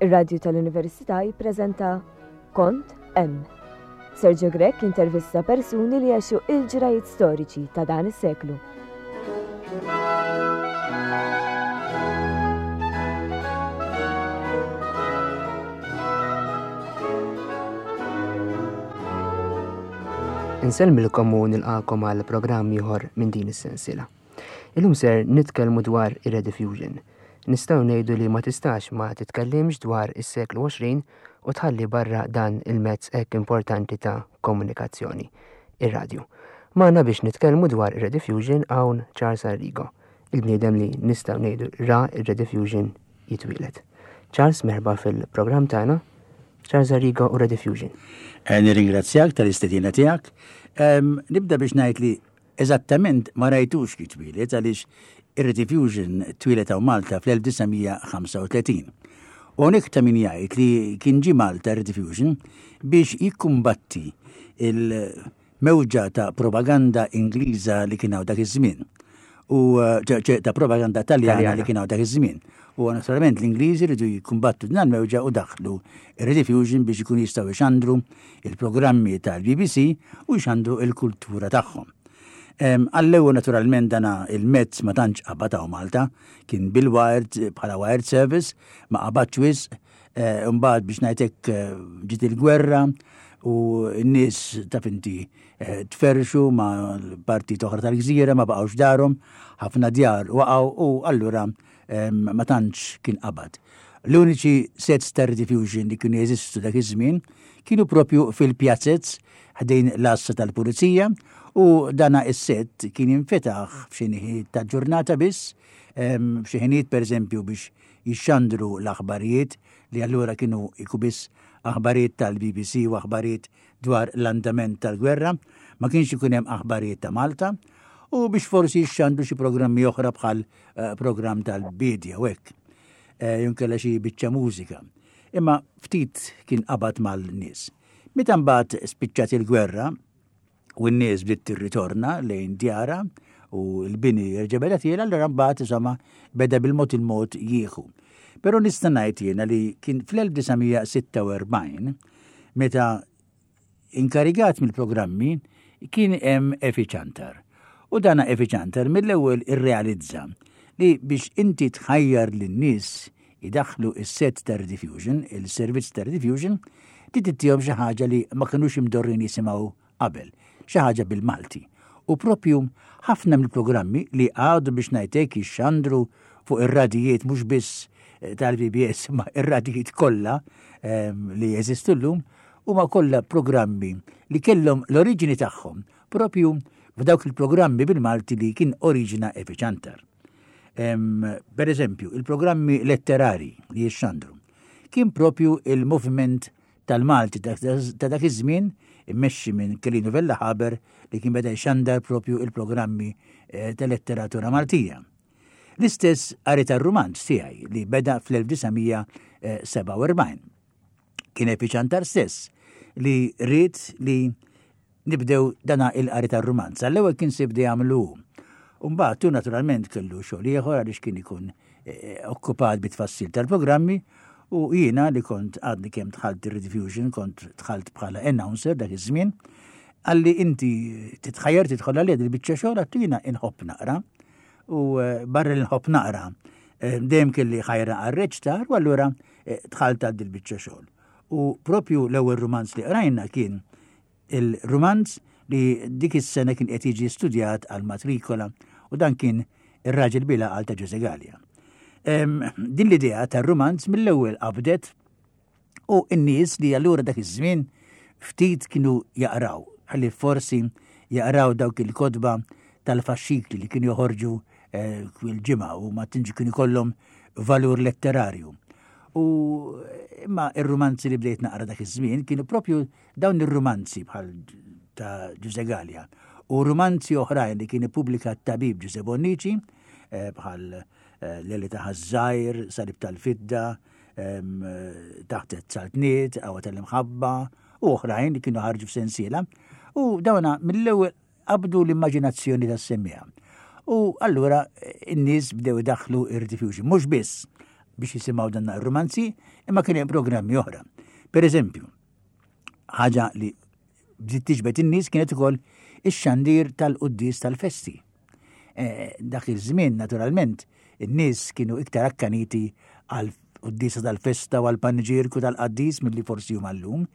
Ir-Radju tal-Università jippreżenta Kont Hemm. Sergio Grech intervista persuni li għexu il-ġrajiet storiċi ta' dan is-seklu. Insellmilkom u nilqakom għal programm ieħor minn din is-sensiela. Illum ser nitkellmu dwar ir-rediffusion. Nistgħu ngħidu li ma tistax ma titkellimx dwar is-seklu 20 u tħalli barra dan il-mezz hekk importanti ta' komunikazzjoni, ir-radju. Magħna biex nitkellmu dwar ir-rediffusion hawn Charles Arrigo, il-bniedem li nistgħu ngħidu ra ir-rediffusion jitwieled. Charles, merħba fil-programm tagħna. Charles Arrigo u Rediffusion. Eh, nirringrazzjak tal-istedina tiegħek. Nibda biex ngħid li Eżattament ma rajtux kif twieled għaliex ir-Rediffusion twieled hawn Malta fl-1935. U hawnhekk ta' min jgħid li kien ġie Malta r-Rediffusion biex jikkumbatti il-mewġa ta' propaganda Ingliża li kien hawn dak iż-żmien. U ta' propaganda Taljana li kien hawn dak iż-żmien. U naturalment l-Ingliżi rridu jikkumbattu din il-mewġa u daħlu ir-Rediffusion biex ikun jistgħu jxandru il-programmi tal-BBC u jxandru il-kultura tagħhom. Għall-ewwel naturalment dana il-mezz ma tantx qabad hawn Malta, kien bil-wired bħala wired service, ma qabadx wisq, eh, imbagħad biex ngħidlek eh, ġiet il-gwerra u n-nies taf inti eh, tferxu ma' partit oħra tal-gżira ma baqgħux darhom, ħafna djar waqgħu u allura ma tantx kien qabad. L-uniċi sets ta' rediffusion li kienu jeżistu dak iż-żmien kienu propju fil-pjazzez ħdejn l-għassa tal-pulizija u dana is-set kien jinfetaħ f'xi ħinijiet ta' ġurnata biss, f'xi ħinijiet pereżempju biex jixxandru l-aħbarijiet li allura kienu jku biss aħbarijiet tal-BBC u aħbarijiet dwar l-andament tal-gwerra, ma kienx ikun hemm aħbarijiet ta' Malta, u biex forsi jixxandru xi programmi oħra bħal eh, programm tal-bidja u hekk. Eh, junkella xi biċċa mużika. Imma ftit kien qabad mal-nies. Meta mbagħad spiċċat il-gwerra u n-nies bdiet tirritorna lejn djara u l-bini jerġa' beda tiela, allura mbagħad insomma beda bil-mod il-mod jieħu. Però nista' ngħid jiena li kien fl-1946 meta Inkarigat mill-programmi kien hemm Efi Ciantar. U dana Efi Ciantar mill-ewwel irrealizza li biex inti tħajjar lin-nies idaħħlu s-sett ta' Rediffusion, il-servizz ta' Rediffusion, trid ittihom xi ħaġa li ma kinux imdorrin jisimgħu qabel, xi ħaġa bil-Malti. U propju ħafna mill-programmi li għadu biex ngħid hekk jixxandru fuq ir-radijiet mhux biss eh, tal-PBS ma ir-radijiet kollha ehm, li jeżistu llum huma kollha programmi li kellhom l-oriġini tagħhom propju f'dawk il-programmi bil-Malti li kien oriġina Efi Ciantar. Per eżempju, il-programmi letterari li jixxandru kien propju il-moviment tal-Malti ta' dak iż-żmien immexxi minn Kelinu Vella Haber li kien beda jxandar propju il-programmi eh, ta' letteratura Maltija. L-istess qari tar-rumanz tiegħi li beda fl-1947. Kien Epi Ciantar stess li ried li nibdew dana il-qari tar-rumanz. Għall-ewwel kien se jibda jagħmlu hu. Umbagħad hu naturalment kellu xogħol ieħor għaliex kien ikun eh, okkupat bit-tfassil tal-programmi u jiena li kont għadni kemm dħalt ir-Rediffusion, kont dħalt bħala announcer dak iż-żmien, għalli inti titħajjar tidħol għalija dil-biċċa xogħol għattu jiena inħobb naqra. U eh, barra li nħobb naqra, eh, dejjem kelli ħajra għar-reċtar u allura dħalt għal dil-biċċa xogħol. U propju l-ewwel rumanz li qrajna kien il-rumanz li dik is-sena kien qed jiġi studjat għal matrikola u dan kien ir-raġel bila għal ta' Ġuże Gallia. Din l-idea tar-rumanz mill-ewwel qabdet u n-nies li allura dak iż-żmien ftit kienu jaqraw, ħalli forsi jaqraw dawk il-kotba tal-faxxikli li kienu joħorġu eh, kull ġimgħa u ma tinġi kienu jkollhom valur letterarju. U imma ir-rumanzi li bdejt naqra dak iż-żmien kienu propju dawn ir-rumanzi bħal ta' Ġuże Gallia u rumanzi oħrajn li kien ippubblika t-tabib Ġuże Bonnici eh, bħal eh, Leli ta' Ħażżajr, Salib tal-Fidda, Taħt it-Saltniet, Qawwa tal-Imħabba u oħrajn li kienu ħarġu f'sensiela. U dawna mill-ewwel qabdu l-immaġinazzjoni tas-semmiegħa. U allura n-nies bdew idaħħlu ir-rediffusion. Mhux biss. biex jisimgħu dan ir-rumanzi, imma kien hemm programmi oħra. Per eżempju, ħaġa li bdiet tiġbed in-nies kienet ukoll ix-xandir tal-quddies tal-festi. Eh, dak iż-żmien naturalment in-nies kienu iktar akkaniti għal quddiesa tal-festa u għal paniġierku tal-qaddis milli forsi huma llum.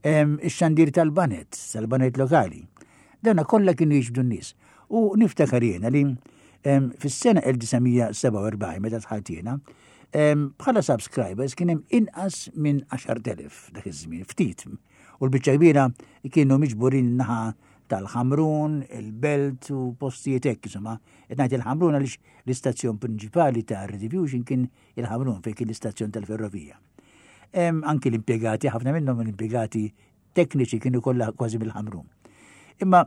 Ix-xandir tal-banet, tal-banet lokali. Dawna kollha kienu jiġbdu n-nies. U niftakar jiena li fis-sena 1947 meta dħalt jiena, bħala subscribers kien hemm inqas minn 10,000 dak iż-żmien, ftit. U l-biċċa kbira kienu miġburin naħa tal-Ħamrun, il-Belt u postijiet hekk, insomma, qed ngħid il-Ħamrun għaliex l-istazzjon prinċipali ta' Rediffusion kien il-Ħamrun fejn kien l-istazzjon tal-ferrovija. Anki l-impjegati, ħafna minnhom l-impjegati tekniċi kienu kollha kważi mill-Ħamrun. Imma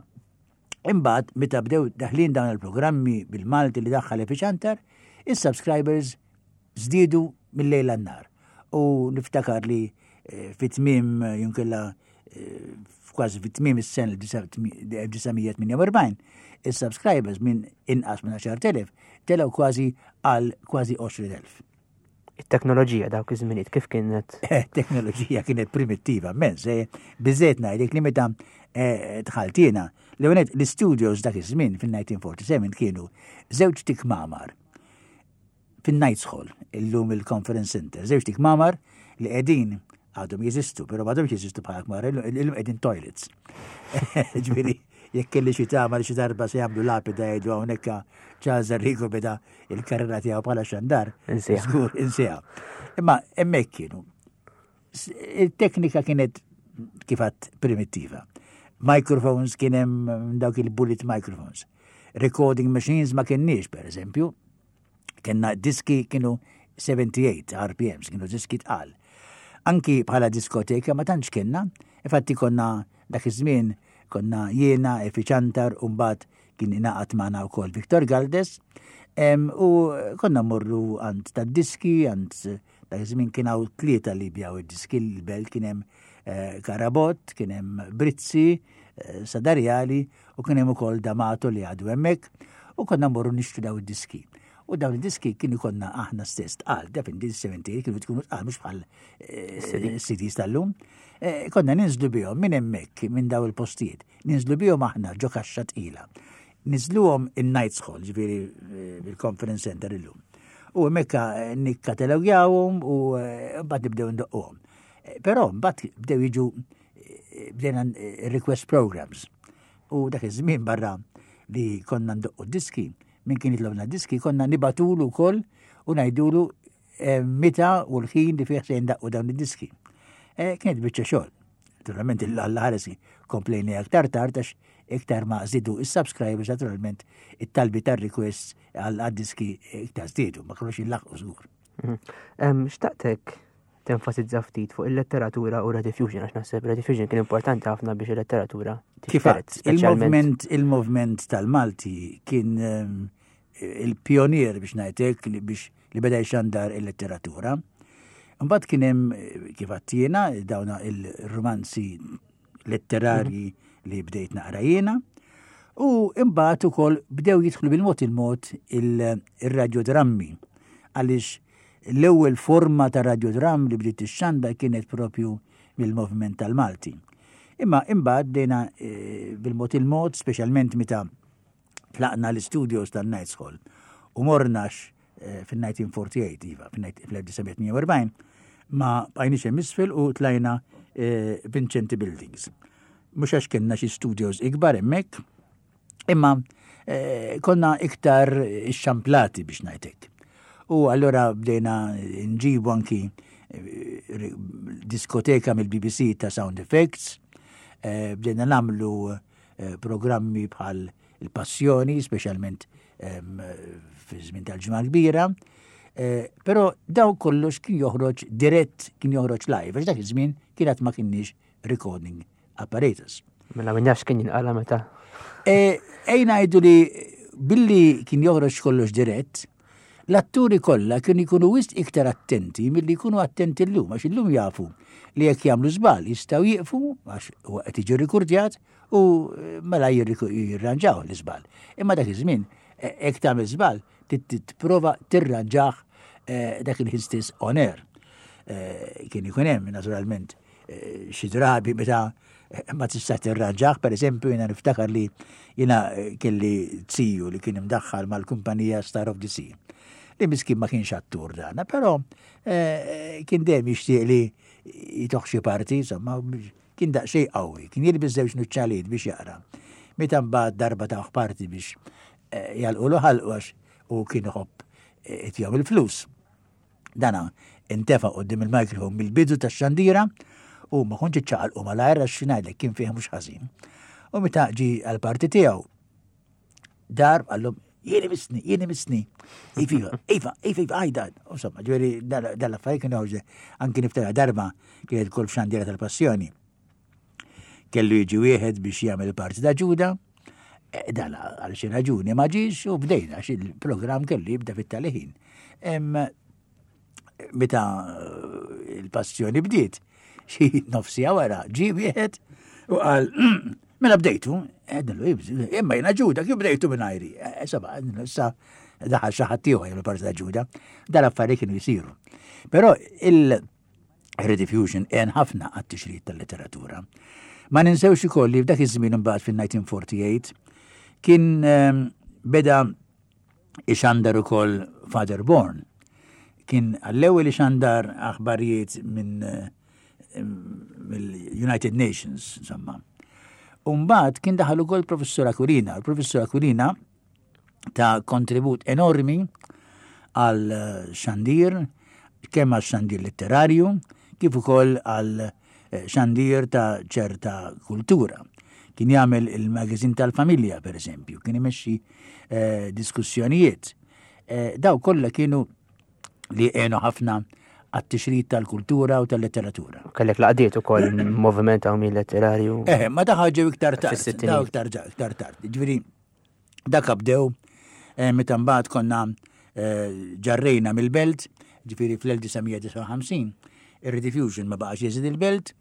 imbagħad meta bdew daħlin dawn il-programmi bil-Malti li daħħal Efiċantar, is-subscribers żdiedu mill-lejl għan-nar. U niftakar li eh, fit-tmiem eh, junkella eh, kważi fit-tmiem is-sena 1948, is-subscribers minn inqas minn 10,000 telgħu kważi għal kważi 20,000. It-teknoloġija dawk iż-żminijiet kif kienet? Eh, teknoloġija kienet primittiva immens, eh, biżejt ngħidlek li meta eh, dħaltina, l-ewwel l-istudios dak iż-żmien fil-1947 kienu żewġ tikmamar fin-Knights Hall, illum il-Conference Center, żewġ tikmamar li qegħdin għadhom jeżistu, però m'għadhomx jeżistu bħala kmar, illum qegħdin toilets. Ġifieri, jekk kelli xi tama li xi darba se jagħmlu lapida jgħidu hawnhekk Charles Arrigo beda il-karriera tiegħu bħala xandar. Żgur, insieha. Imma hemmhekk kienu. Il-teknika kienet kifat primittiva. Microphones kien hemm dawk il-bullet microphones. Recording machines ma kienniex, per eżempju. Kenna diski kienu 78 RPMs, kienu diski tqal. Anki bħala diskoteka ma tantx kienna, infatti konna dak iż-żmien konna jiena, Efi Ċantar, u mbagħad kien ingħaqad magħna wkoll Victor Galdes, u konna mmorru għand tad-diski, għand dak iż-żmien kien hawn tlieta li bjaw id-diski l-belt kien hemm eh, Karabott, kien hemm Brizzi, eh, Sadarjali u kien hemm ukoll Damato li għadu hemmhekk u konna mmorru nixtru daw id-diski. U dawn id-diski kienu konna aħna stess tqal, defin din 70 kienu tkunu tqal mhux bħal eh, CDs tal-lum. Konna ninżlu bihom minn hemmhekk minn daw il-postijiet. Ninżlu bihom aħna ġo kaxxa tqila. Niżluhom in-Knights Hall, ġifieri eh, bil-Conference Center illum. U hemmhekk eh, nikkatalogjawhom u eh, mbagħad nibdew ndoqquhom. Però mbagħad bdew jiġu bdejna request programs. U dak iż-żmien barra li konna ndoqqu diski, minn kien jitlobna diski, konna nibatulu wkoll u ngħidulu meta u l-ħin li fih se jindaqqu dawn id-diski. Kienet biċċa xogħol. Naturalment il-Alla ħaresi komplejni aktar tard għax iktar ma żidu is-subscribers naturalment it-talbi tar-requests għal diski iktar żdiedu, ma kinux jillaħqu żgur. Mhm. Xtaqtek tenfasizza ftit fuq il-letteratura u Rediffusion, għax naħseb Rediffusion kien importanti ħafna biex il-letteratura Kifat, il-movement il-movement tal-Malti kien il-pionier biex ngħidlek li biex li beda jxandar il-letteratura. Mbagħad kien hemm kif għattiena dawna il-romanzi letterarji mhm. li bdejt naqra jiena. U imbagħad ukoll bdew jidħlu bil-mod il-mod il-radjodrammi għaliex l-ewwel forma ta' radjodram li bdiet tixxanda kienet propju mill-moviment tal-Malti. Imma imbagħad bdejna eh, bil-mod il-mod, speċjalment meta tlaqna l-studios tan-Knights Hall u mornax eh, fil-1948, iva, fil-1948, ma bqajniex hemm isfel u tlajna eh, Vincenti Buildings. Mhux għax kellna xi studios ikbar hemmhekk, imma eh, konna iktar xamplati biex ngħidlek. U allura bdejna nġibu anki diskoteka mill-BBC ta' sound effects, bdejna namlu programmi bħal il-passjoni, speċjalment fi żmien tal-ġimgħa kbira. Eh, però daw kollox kien joħroġ dirett, kien joħroġ live, għax dak iż-żmien kien ma kienniex recording apparatus. Mela min jafx kien jinqala meta. Eh, ejna ngħidu li billi kien joħroġ kollox dirett, L-atturi kollha kienu jkunu wisq iktar attenti milli jkunu attenti llum għax illum jafu li jekk jagħmlu żball jistgħu jieqfu għax huwa qed jiġi rikurdjat u eh, mela jirranġaw l-iżball. Imma dak iż-żmien eh, jekk tagħmel żball tipprova tirranġah eh, dak il-ħin stess on air. Eh, kien ikun hemm naturalment eh, xi drabi meta ma tista' tirranġah, per eżempju jiena niftakar li jiena kelli ziju li kien imdaħħal mal-kumpanija Star of the Sea. Li miskin ma kienx attur dana, però kien dejjem jixtieq li jitoħ xi parti, insomma, Kien daqsxejn qawwi, kien jilbes żewġ nuċċalijiet biex jaqra. Meta mbagħad darba tawh parti biex eh, jalqulu ħalqu għax u kien iħobb eh, itjom il-flus. Dana intefa' qudiem il-mikrofon mill-bidu tax-xandira u ma kontx iċċaqalqu malajr għax ngħidlek kien fih mhux ħażin. U meta ġi għall-parti tiegħu dar għallum jieni misni, jieni misni. Iva, iva, iva, iva, għajda. Insomma, ġveri, dal-affarijiet kienu joħorġu. Anki niftakar darba kienet kol f'xandira tal-passjoni. Kellu jiġi wieħed biex jagħmel parti ta' Ġuda, e, dan għal xi raġuni ma ġiex u bdejna xi il-programm kellu jibda fit-tali ħin. Meta eh, il-passjoni bdiet, xi nofsija wara ġie wieħed u qal mela bdejtu, għednilu, imma jiena ġuda, kif bdejtu minn ajri? Eh, saba, sa daħal xi ħadd ieħor jagħmel parti ta' ġuda, dal-affarijiet kienu jsiru. Però il-rediffusion għen ħafna għat-tixrid tal-letteratura. Ma ninsewx ukoll li f'dak iż-żmien imbagħad fil-1948 kien ehm, beda ixandar ukoll Father Born. Kien għall-ewwel ixandar aħbarijiet minn eh, mill-United Nations, insomma. Umbagħad kien daħal ukoll Professur Aquilina. Il-Professur Aquilina ta' kontribut enormi għal xandir, kemm għal xandir letterarju, kif ukoll għal eh, xandir ta' ċerta kultura. Kien jagħmel il-magazin tal-familja, per eżempju, kien imexxi eh, diskussjonijiet. Eh, daw kollha kienu li għenu ħafna għat-tixrid tal-kultura u tal-letteratura. Kellek laqdiet ukoll moviment hawn letterarju. Eh, ma daħ ġew iktar tard. Daw iktar iktar tard. Ġifieri dak bdew eh, meta mbagħad konna eh, ġarrejna mill-belt, ġifieri fl-1959, ir-Rediffusion ma baqax jeżid il-belt,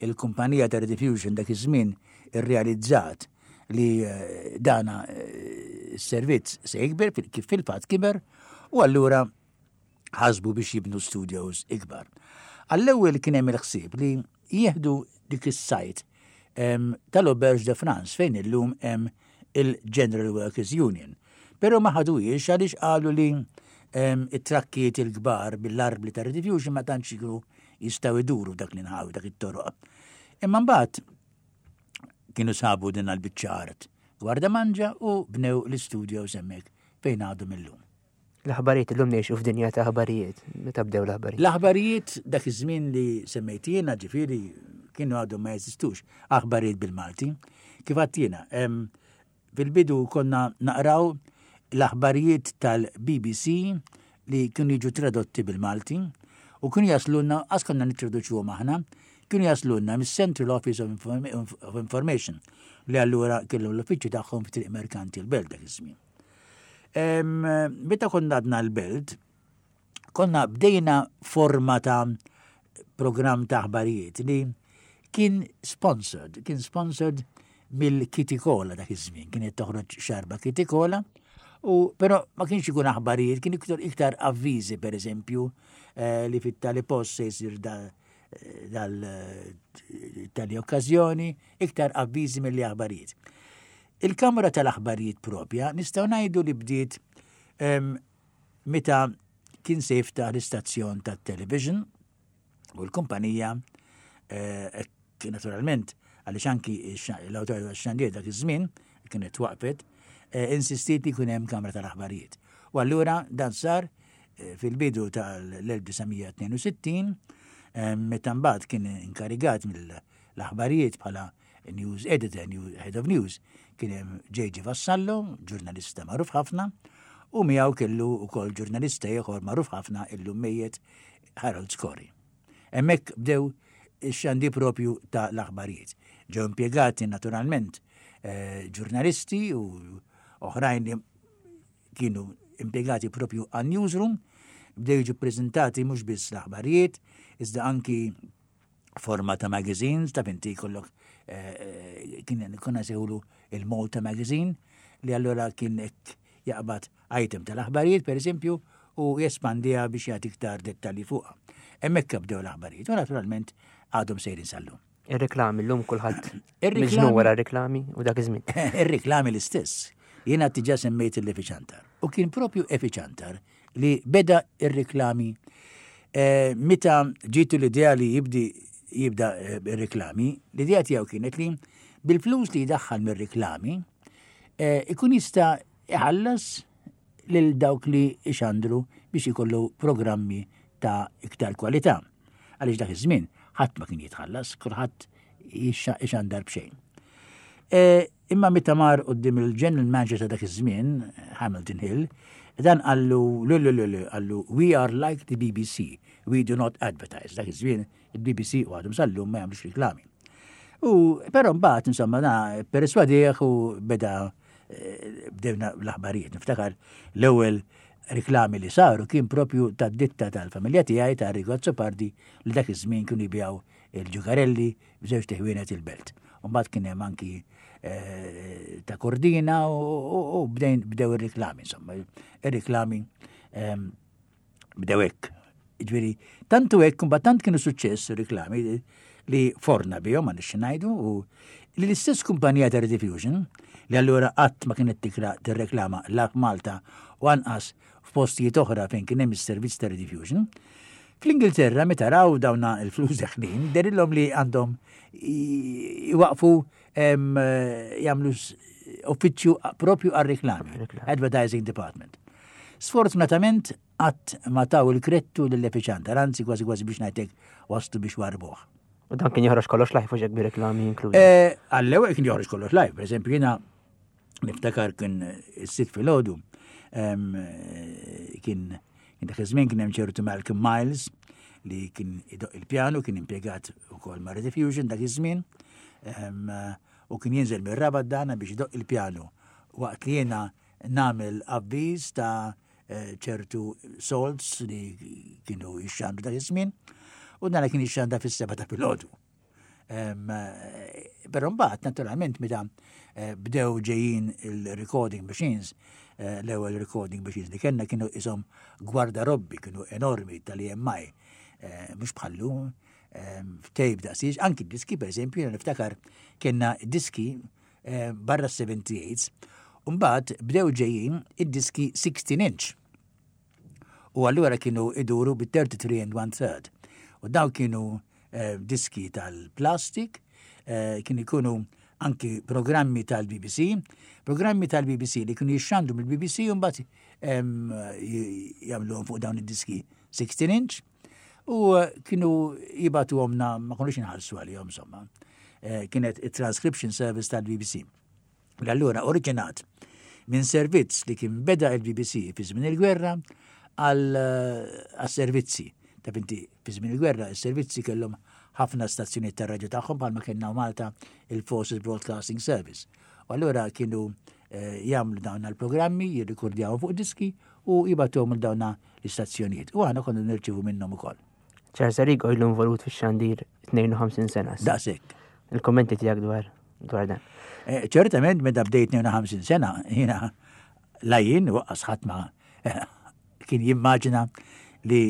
il-kumpanija ta' Rediffusion dak iż-żmien irrealizzat li eh, dana eh, s-servizz se jikber kif fil-fatt kiber u allura ħasbu biex jibnu studios ikbar. Għall-ewwel kien hemm il-ħsieb li jieħdu dik is-sajt tal-Auberge de France fejn illum hemm il-General Workers Union. Però ma ħaduhiex għaliex qalu li it-trakkiet il-kbar bil-arbli ta' rediffusion ma tantx ikunu jistgħu jduru f'dak l-inħawi dak it-toroq. Imma mbagħad kienu sabu din għal-biċċa art Gwardamanġa u bnew l-istudios hemmhekk fejn għadhom illum. L-aħbarijiet illum ngħixu f'dinja ta' aħbarijiet, meta bdew l-aħbarijiet? L-aħbarijiet dak iż-żmien li semmejt jiena ġifieri kienu għadhom ma jeżistux aħbarijiet bil-Malti. Kif għedt jiena, fil-bidu konna naqraw l-aħbarijiet tal-BBC li kienu jiġu tradotti bil-Malti u kienu jaslulna, għas konna nittraduċuhom aħna, kienu jaslulna mis-Central Office of Information li allura kellhom l-uffiċċju tagħhom fi Triq Merkanti l-Belt dak iż-żmien. Meta konna għadna l-Belt, konna bdejna forma ta' programm ta' aħbarijiet li kien sponsored, kien sponsored mill-Kitty Cola dak iż-żmien, kienet toħroġ xarba Kitty Cola, u però ma kienx ikun aħbarijiet, kien iktar iktar avviżi per eżempju eh, li fit-tali post se jsir eh, dal tali okkażjoni, iktar avviżi milli aħbarijiet. Il-kamra tal-aħbarijiet propja nistgħu ngħidu li bdiet meta kien se jiftaħ l-istazzjon tat-television u l-kumpanija eh, naturalment għaliex anki l-awtorità tax-xandir dak iż-żmien kienet waqfet, eh, insistiet li jkun hemm kamra tal-aħbarijiet. U allura dan sar eh, fil-bidu tal-1962 meta mbagħad kien inkarigat mill-aħbarijiet bħala news editor, new, head of news, kien hemm J.G. Vassallo, ġurnalista magħruf ħafna, u miegħu kellu wkoll ġurnalista ieħor magħruf ħafna illum mejjet Harold Scorri. Hemmhekk bdew ix-xandi propju ta' l-aħbarijiet. Ġew impjegati naturalment eh, ġurnalisti u oħrajn li kienu impjegati propju għan newsroom, bdew jiġu ppreżentati mhux biss l-aħbarijiet, iżda anki forma ta' magazines, ta' inti jkollok eh, eh, kien konna sejħulu il-Malta Magazine, li allura kien jaqbad item tal-aħbarijiet, per eżempju, u jespandiha biex jagħti iktar dettalji fuqha. Hemmhekk bdew l-aħbarijiet u naturalment għadhom sejrin sal-lum. Ir-reklami llum kulħadd miġnun wara reklami u dak iż-żmien. Ir-reklami l-istess. Jiena diġà semmejt l-Efiċantar. U kien propju Efiċantar li beda ir-reklami eh, meta ġitu l-idea li jibdi jibda eh, ir-reklami, l-idea tiegħu kienet li bil-flus li jdaħħal mir-reklami eh, ikun jista' iħallas lil dawk li ixandru biex ikollu programmi ta' iktar kwalità. Għaliex dak iż-żmien ħadd ma kien jitħallas, kulħadd ixandar b'xejn. E, imma meta mar quddiem il-general manager ta' dak iż-żmien, Hamilton Hill, dan qallu l qallu we are like the BBC, we do not advertise. Dak iż-żmien il-BBC u għadhom sal-lum ma jagħmlux reklami. U però mbagħad insomma na perswadih u beda eh, bdejna l-aħbarijiet. Niftakar l-ewwel riklami li saru kien propju tad-ditta tal-familja tiegħi ta' Arrigo Azzopardi li dak iż-żmien kienu jbijaw il-ġugarelli b'żewġ teħwienet il-belt. U mbagħad kien hemm anki eh, ta' Kordina u bdejn bdew ir-riklami insomma. Ir-riklami ehm, Bdew hekk. Ġifieri, tantu hekk, imbagħad tant kienu suċċess ir-riklami li forna bihom ma nixxi ngħidu u li l-istess kumpanija ta' Rediffusion li allura qatt ma kienet tikra tirreklama la f'Malta u anqas f'postijiet oħra fejn kien hemm is-servizz ta' Rediffusion. Fl-Ingilterra meta raw dawna l-flus deħlin, derilhom li għandhom iwaqfu jagħmlu uffiċċju propju għar-reklami, Advertising Department. Sfortunatament qatt ma taw il-krettu lil Epiċantar, anzi kważi kważi biex ngħidlek waslu biex warbuh. U dan kien joħroġ kollox live u ġek bi-reklami inklużi. Eh, għall-ewwel kien joħroġ kollox live, pereżempju jiena niftakar kien is-sit filgħodu kien dak iż-żmien kien hemm ċertu Malcolm Miles li kien idoq il-pjanu, kien impjegat ukoll ma' Rediffusion dak iż-żmien u kien jinżel mir-rabat dana biex idoq il-pjanu waqt li jiena nagħmel avviż ta' eh, ċertu salts li kienu jixxandu dak iż-żmien u dana kien jixxanda fis-seba ta' filgħodu. Eh, però mbagħad naturalment meta eh, bdew ġejjin il-recording machines, l-ewwel recording machines li kellna kienu isom gwardarobbi kienu enormi tal-EMI, mhux bħallu tape daqsiex, anki diski per eżempju, niftakar kellna diski eh, barra 78s, u mbagħad bdew ġejjin id-diski 16 inch. U allura kienu iduru bi 33 and 1 third. U daw kienu eh, diski tal-plastik, eh, kienu jkunu anki programmi tal-BBC, programmi tal-BBC li kienu jixxandu mill-BBC u mbagħad jagħmluhom fuq dawn id-diski 16 inch. U eh, kienu jibatu għomna, ma konux nħallsu għalihom insomma. Eh, kienet il-transcription service tal-BBC. L-allura oriġinat minn servizz li kien beda il-BBC fi żmien il-gwerra għal eh, servizzi. Ta' inti fi żmien il-gwerra is-servizzi kellhom ħafna stazzjonijiet tar-radju tagħhom bħalma kellna Malta il-Forces Broadcasting Service. U allura kienu jagħmlu dawn il-programmi, jirrikordjaw fuq diski u jibatuhom il dawna l-istazzjonijiet. U aħna konna nirċivu minnhom ukoll. Charles Arrigo ilu involut fix-xandir 52 sena. Daqshekk. Il-kommenti tiegħek dwar dwar dan. Eh, ċertament meta bdejt 52 sena, jiena la jien waqqas ħadd ma eh, kien jimmaġina li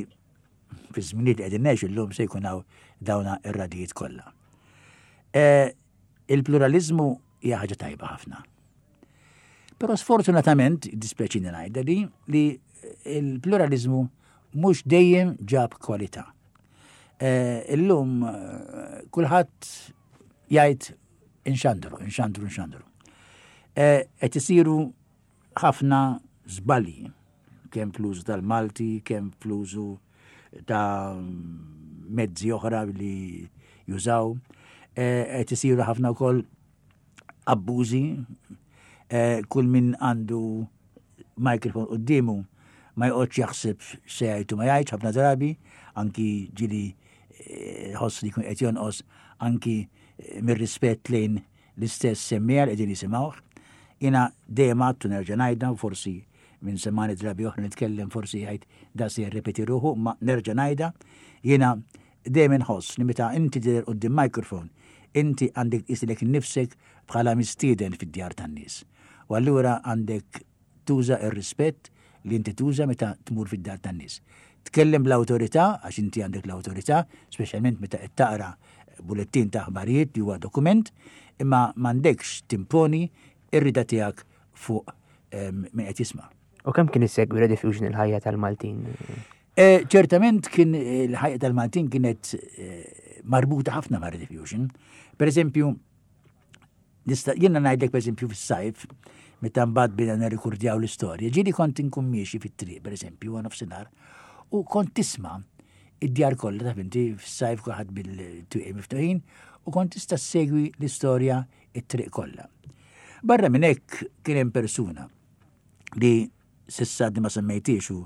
fi żminijiet li qegħdin ngħixu llum se jkun hawn dawna ir-radijiet kollha. Eh, il-pluralizmu hija ħaġa tajba ħafna. Però sfortunatament, dispjaċini ngħidha li li il-pluralizmu mhux dejjem ġab kwalità. Eh, illum eh, kulħadd jgħid inxandru, inxandru, inxandru. Eh, qed isiru ħafna żbalji kemm fl-użu tal-Malti, kemm fl-użu ta' mezzi oħra li jużaw. Qed isiru ħafna wkoll abbużi, eh, kull min għandu mikrofon quddiemu ma joqgħodx jaħseb se jgħid u ma jgħidx ħafna drabi, anki ġili eh, ħoss li jkun qed jonqos anki eh, mir-rispett lejn l-istess semmiegħa li qegħdin jisimgħuh. Jiena dejjem għadtu nerġa' ngħidha u forsi minn semani drabi oħra nitkellem forsi jgħid da se jirrepeti ruħu, ma nerġa' ngħidha, jiena Dejjem inħoss li meta inti tidher quddiem microphone, inti għandek tqis lilek innifsek bħala mistieden fid-djar tan-nies. U allura għandek tuża r-rispett li inti tuża meta tmur fid-dar tan-nies. Tkellem bl-awtorità, għax inti għandek l-awtorità, speċjalment meta qed taqra bulettin ta' aħbarijiet li huwa dokument, imma m'għandekx timponi ir-rida tiegħek fuq min qed jisma'. U kemm kien isegwi Rediffusion il-ħajja tal-Maltin? Eh, ċertament kien eh, il-ħajja tal-Maltin kienet eh, marbuta ħafna ma' Rediffusion. Per eżempju, nista' jiena ngħidlek per eżempju fis-sajf, meta mbagħad bina nirrikurdjaw l-istorja, ġieli kont inkun miexi fit-triq, per eżempju, għan nofsinhar, u kont tisma' id-djar kollha taf inti fis-sajf kulħadd bil-twieqi miftuħin u kont tista' ssegwi l-istorja it-triq kollha. Barra minn hekk kien hemm persuna li s'issa għadni ma semmejtiex u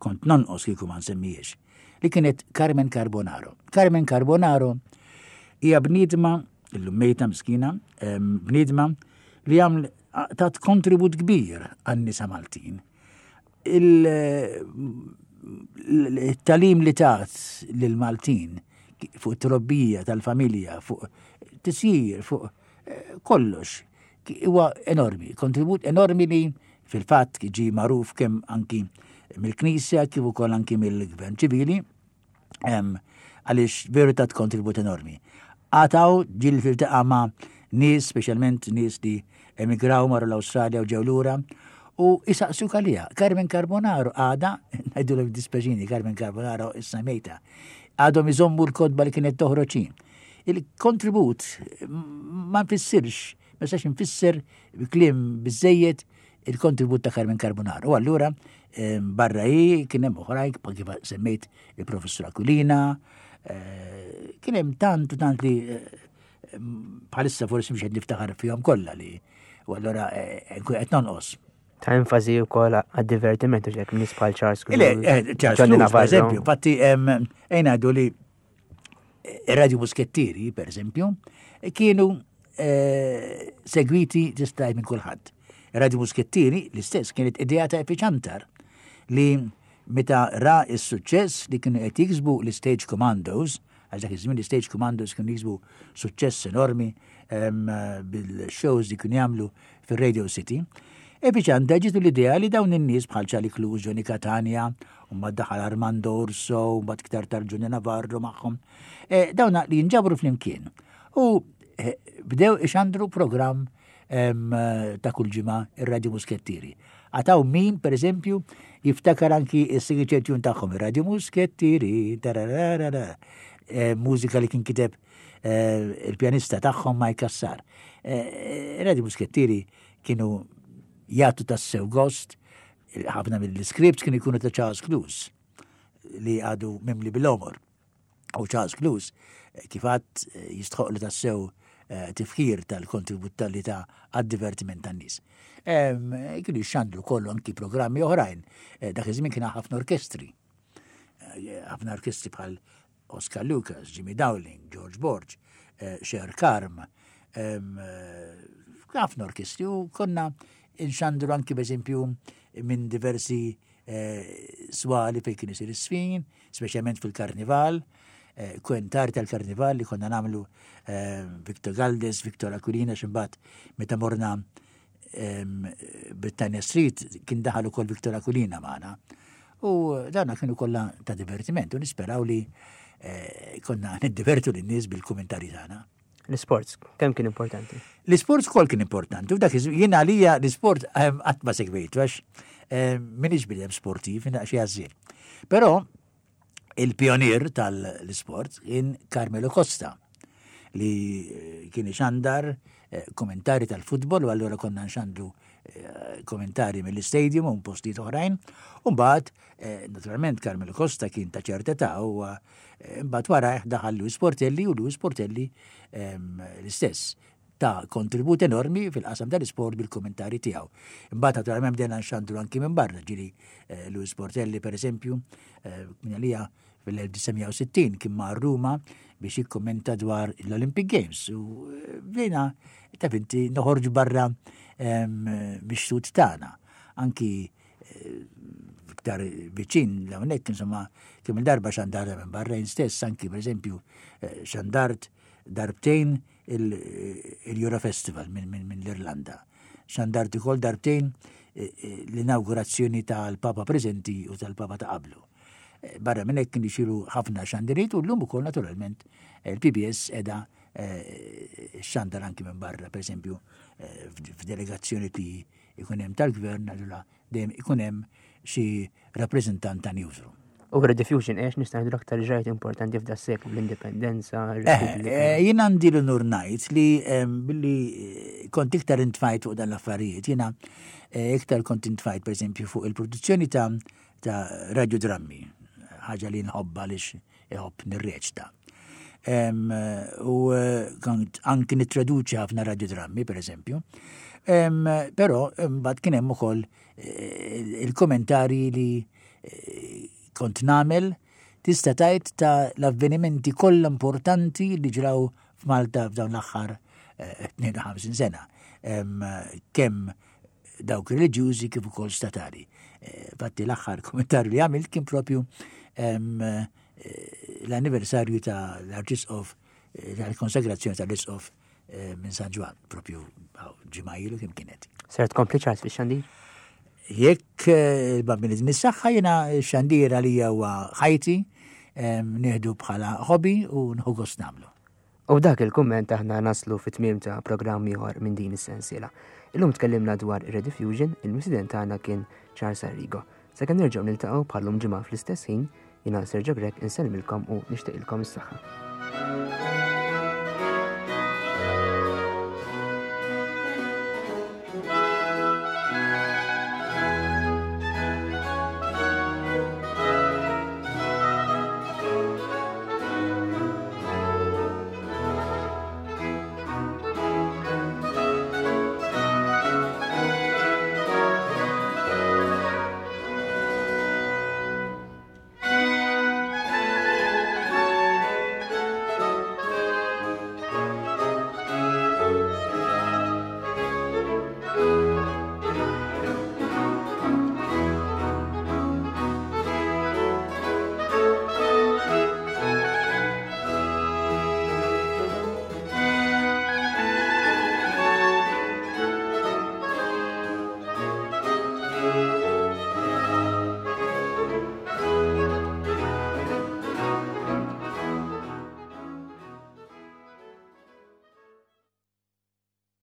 kont nonqos kieku ma nsemmijiex, li kienet Carmen Carbonaro. Carmen Carbonaro hija bniedma, illum mejta miskina, bniedma li għaml tat kontribut kbir għan-nisa Maltin. Il-talim li tat lil-Maltin fuq it-trobbija tal-familja, fuq tisjir, fuq eh, kollox, huwa enormi, kontribut enormi li fil-fatt ġie magħruf kemm anki mill-Knisja kif ukoll anki mill-Gvern ċivili għaliex veru tat kontribut enormi. Għataw ġil filtaqa ma' nies, speċjalment nies li emigraw marru l-Awstralja u ġew lura, u isaqsu kalija. Carmen Carbonaro għada, ngħidu l dispeġini, Carmen Carbonaro issa mejta, għadhom iżommu l-kodba li kienet toħroġ Il-kontribut ma nfissirx, ma nistax nfisser kliem biżejjed il-kontribut ta' Carmen Carbonaro. U allura barra hi kien hemm oħrajn kif semmejt il-professur Aquilina, eh, kien hemm tant u tant li eh, bħalissa forsi mhux qed niftakar fihom kollha li u allura eh, nkun qed nonqos. Ta' enfasi wkoll għad-divertiment u ġek nies bħal Charles Cruz. Charles Cruz, per eżempju, fatti ejna li Radio Muskettieri, per eżempju, kienu eh, segwiti tista' minn kulħadd. Radio Muskettieri l-istess kienet idea ta' Epiċantar li meta ra s-suċċess li kienu qed jiksbu l-Stage Commandos, għax dak iż-żmien l-Stage Commandos kienu jiksbu suċċess enormi bil-shows li kienu jagħmlu fir-Radio City, Epiċanta ġitu l-idea li dawn in-nies bħal Charlie Cluz, Johnny Catania, u mbagħad daħal Armando Urso, u mbagħad iktar tard Johnny Navarro magħhom, eh, dawn li jinġabru flimkien. U eh, bdew ixandru programm ta' kull ġimgħa ir-Radio Muskettieri. Għataw min, per eżempju, jiftakar anki il-signature tune tagħhom, ir-Radio Muskettieri, tarararara, eh, mużika li kien kiteb Eh, il-pjanista tagħhom Mike Cassar. Eh, Radio Muskettieri kienu jagħtu tassew gost, ħafna mill-scripts kienu jkunu ta' Charles Clues li għadu mimli bil-omor. U Charles Clues, eh, kif għad jistħoqlu tassew tifħir tal-kontribut tal-li ta' għad-divertiment tan-nies. Kienu jxandru kollu anki programmi oħrajn. Dak iż-żmien kien ħafna orkestri. Ħafna orkestri bħal Oscar Lucas, Jimmy Dowling, George Borg, eh, Cher Karm, eh, ħafna orkestri u konna inxandru anki b'eżempju minn diversi eh, swali fejn kien isir is-sfin, speċjalment fil-karnival, kwentar tal-karnival li konna namlu Victor Galdes, Victor Aquilina, ximbat meta morna Britannia Street kien daħal ukoll Victor Aquilina magħna. U dawna kienu kollha ta' divertiment u nisperaw li eh, konna niddivertu lin-nies bil-kumentari tagħna. L-sports, kemm kien importanti? L-sports kol kien importanti. U dak jien għalija l-sport qatt ma segwejtu għax minix bidem sportiv, jien xi għażżien. Però Il-pionier tal-isport kien Carmelo Costa li eh, kien ixandar eh, kommentari tal-futbol u allura konna nxandru eh, kommentari mill-istadium u postijiet oħrajn. U mbagħad, naturalment Carmelo Costa kien ta' ċerta ta' u mbagħad wara daħal Luis Portelli u Luis Portelli ehm, l-istess ta kontribut enormi fil-qasam tal-isport bil-kommentari tiegħu. Imbagħad naturalment bdejna nxandru anki minn barra, ġiri eh, Luis Portelli per eżempju, eh, minn għalija fil-1960 kien ma' Ruma biex jikkommenta dwar l-Olympic Games u eh, bdejna ta' finti noħorġu barra ehm, biex tut tagħna. Anki iktar viċin l-hawnhekk insomma kemm il-darba xandarta minn barra jien stess anki pereżempju xandart darbtejn il-Euro Festival minn l-Irlanda. xandart ukoll darbtejn l-inawgurazzjoni tal-Papa preżenti u tal-Papa ta' qablu. Barra minn hekk kienu jsiru ħafna xandiriet u llum ukoll naturalment il-PBS qiegħda xandar anki minn barra, pereżempju f'delegazzjoni li jkun hemm tal-gvern allura dejjem ikun hemm xi rappreżentant ta' newsroom. U Rediffusion għex nista' ngħidu l-aktar ġrajt importanti f'da seklu l-indipendenza. Eh, eh, jien għandi l-unur ngħid li billi eh, kont iktar intfajt fuq dan l-affarijiet, jiena iktar kont intfajt pereżempju fuq il-produzzjoni ta' ta' radiodrammi, ħaġa li nħobba għaliex iħobb nirreċta. U anki nittraduċi ħafna radiodrammi, per eżempju. Però mbagħad kien hemm ukoll il-kommentarji li kont nagħmel tista' tgħid ta' l-avvenimenti kollha importanti li ġraw f'Malta f'dawn l-aħħar 52 sena. Kemm dawk reliġjużi kif ukoll statali. Fatti l-aħħar kommentarju li għamilt kien propju l-anniversarju ta' l-Arċisqof tal-konsagrazzjoni tal-Isqof minn San Ġwann, propju ġimgħa ilu kemm kienet. Ser tkompli Charles fix-xandir? Jekk il-Bambin iżni s-saħħa jiena x-xandir għalija huwa ħajti, nieħdu bħala hobby u nħu gost nagħmlu. U b'dak il-kumment aħna naslu fi tmiem ta' programm ieħor minn din is-sensiela. Illum tkellimna dwar Rediffusion, il-mistieden tagħna kien Charles Arrigo. Sakemm nerġgħu niltaqgħu bħal-lum ġimgħa fl-istess ħin, jiena Sergio Grech insellmilkom u nixtieqilkom is-saħħa.